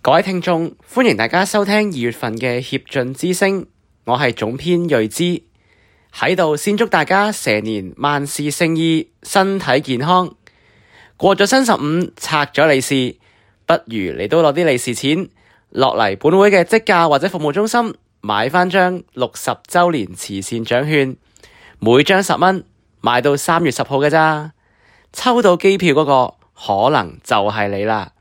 各位聽眾，歡迎大家收聽2月份嘅協進之聲，我係總編睿之，喺度先祝大家蛇年萬事勝意，身體健康。過咗新15，拆咗利是，不如你都攞啲利是錢落嚟本會嘅職價或者服務中心買返張60週年慈善獎券，每張10蚊，買到3月10號嘅咋，抽到機票嗰個可能就係你啦。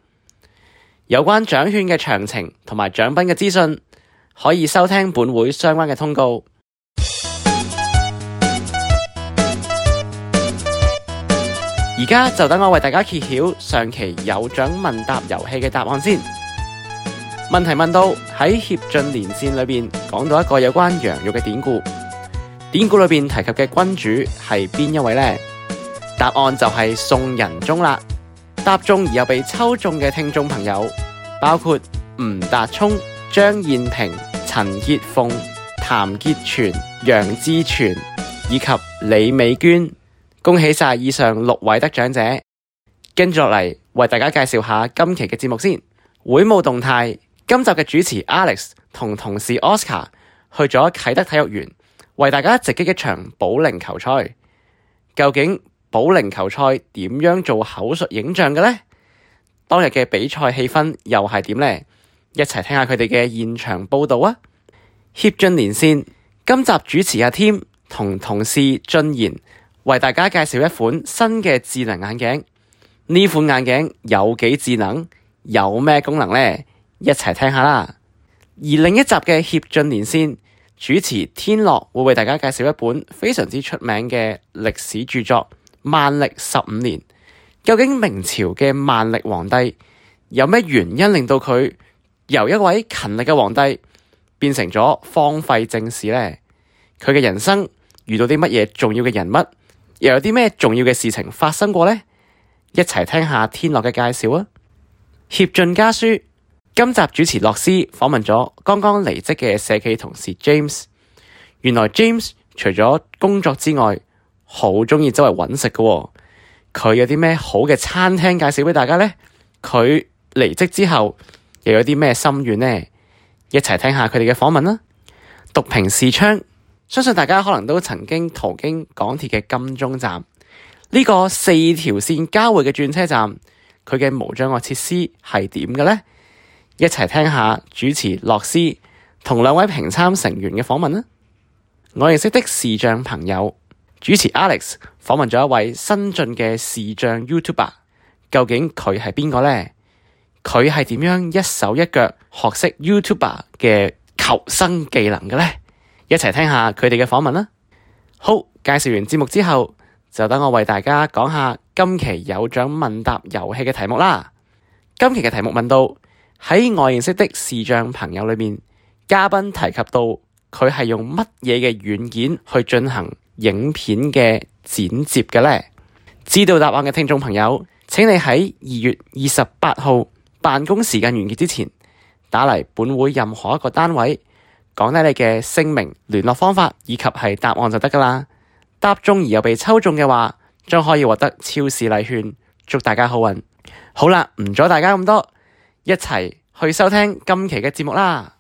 有關獎券嘅詳情同埋獎品嘅資訊，可以收聽本會相關嘅通告。而家就等我為大家揭曉上期有獎問答遊戲嘅答案先。問題問到喺協進連線裏邊講到一個有關羊肉嘅典故，典故裏邊提及嘅君主係邊一位呢？答案就係宋仁宗啦。答中而又被抽中嘅聽眾朋友包括吳達聰、張燕平、陳潔鳳、譚潔全、楊志全以及李美娟。恭喜晒以上6位得獎者。跟住落嚟為大家介紹下今期嘅節目先。會務動態，今集嘅主持 Alex 同同事 Oscar 去咗啟德體育園為大家直擊一場保齡球賽。究竟保齡球賽點樣做口述影像嘅呢？當日嘅比賽氣氛又係點呢？一齊聽下佢哋嘅現場報道啊！協進連線，今集主持阿 Tim 同同事俊賢為大家介紹一款新嘅智能眼鏡。呢款眼鏡有幾智能？有咩功能呢？一齊聽下啦！而另一集嘅協進連線，主持天樂會為大家介紹一本非常之出名嘅歷史著作《萬曆15年》。究竟明朝嘅萬曆皇帝有咩原因令到佢由一位勤力嘅皇帝變成咗荒廢政事呢？佢嘅人生遇到啲乜嘢重要嘅人物？又有啲咩重要嘅事情發生過呢？一齊聽下天樂嘅介紹啊！協進家書，今集主持樂斯訪問咗剛剛離職嘅社企同事 James。原來 James 除咗工作之外，好鍾意周圍揾食嘅。佢有啲咩好嘅餐廳介紹俾大家呢？佢離職之後又有啲咩心願呢？一齊聽下佢哋嘅訪問啦！讀屏視窗。相信大家可能都曾經途經港鐵嘅金鐘站，呢個4條線交匯嘅轉車站，佢嘅無障礙設施係點嘅呢？一齊聽下主持樂斯同2位評參成員嘅訪問啦。我認識的視障朋友，主持 Alex 訪問咗一位新晉嘅視障 YouTuber， 究竟佢係邊個呢？佢係點樣一手一腳學識 YouTuber 嘅求生技能嘅呢？一齊聽下佢哋嘅訪問啦。好，介紹完節目之後，就等我為大家講下今期有獎問答遊戲嘅題目啦。今期嘅題目問到喺我認識的視障朋友裏面，嘉賓提及到佢係用乜嘢嘅軟件去進行影片嘅剪接嘅呢？知道答案嘅聽眾朋友，請你喺2月28號辦公時間完結之前，打嚟本會任何一個單位，講低你嘅姓名、聯絡方法以及係答案就得㗎喇。答中而又被抽中嘅話，將可以獲得超市禮券。祝大家好運。好啦，唔阻大家咁多，一齊去收聽今期嘅節目啦。